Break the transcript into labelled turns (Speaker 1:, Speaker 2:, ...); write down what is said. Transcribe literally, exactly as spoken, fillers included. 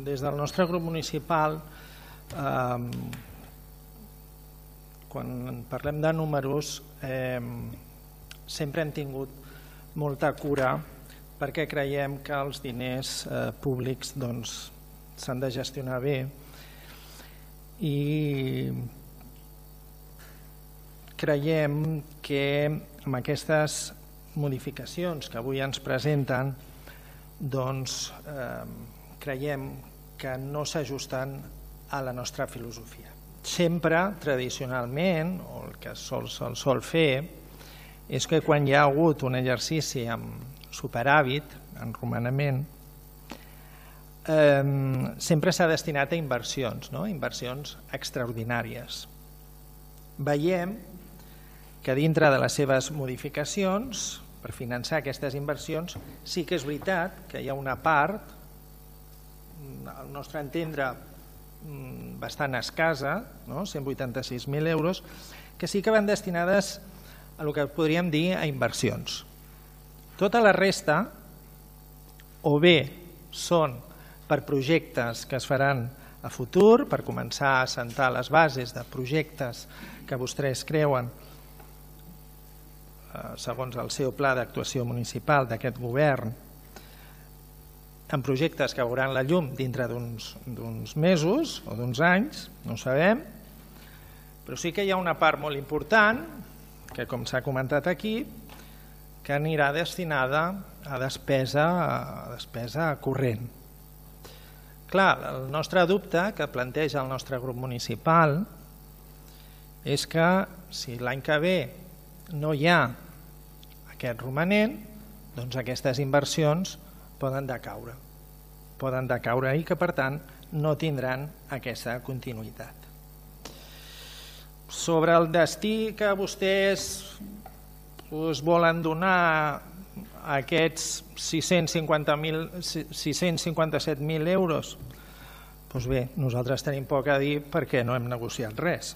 Speaker 1: des del nostre grup municipal, quan parlem de números, sempre hem tingut molta cura perquè creiem que els diners públics s'han de gestionar bé i creiem que amb aquestes modificacions que avui ens presenten doncs creiem que no s'ajusten a la nostra filosofia. Sempre, tradicionalment, o el que se'l sol fer, és que quan hi ha hagut un exercici amb superàvit, en romanament, sempre s'ha destinat a inversions, inversions extraordinàries. Veiem que dintre de les seves modificacions, per finançar aquestes inversions, sí que és veritat que hi ha una part, al nostre entendre, bastant escassa, cent vuitanta-sis mil euros, que sí que van destinades a el que podríem dir a inversions. Tota la resta, o bé són per projectes que es faran a futur, per començar a assentar les bases de projectes que vostès creuen segons el seu pla d'actuació municipal d'aquest govern, en projectes que veuran la llum dintre d'uns mesos o d'uns anys, no ho sabem, però sí que hi ha una part molt important, que com s'ha comentat aquí, que anirà destinada a despesa corrent. Clar, el nostre dubte que planteja el nostre grup municipal és que si l'any que ve no hi ha aquest romanent, doncs aquestes inversions poden decaure. Poden decaure i que, per tant, no tindran aquesta continuïtat. Sobre el destí que vostès volen donar a aquests sis-cents cinquanta-set mil euros, doncs bé, nosaltres tenim poc a dir perquè no hem negociat res.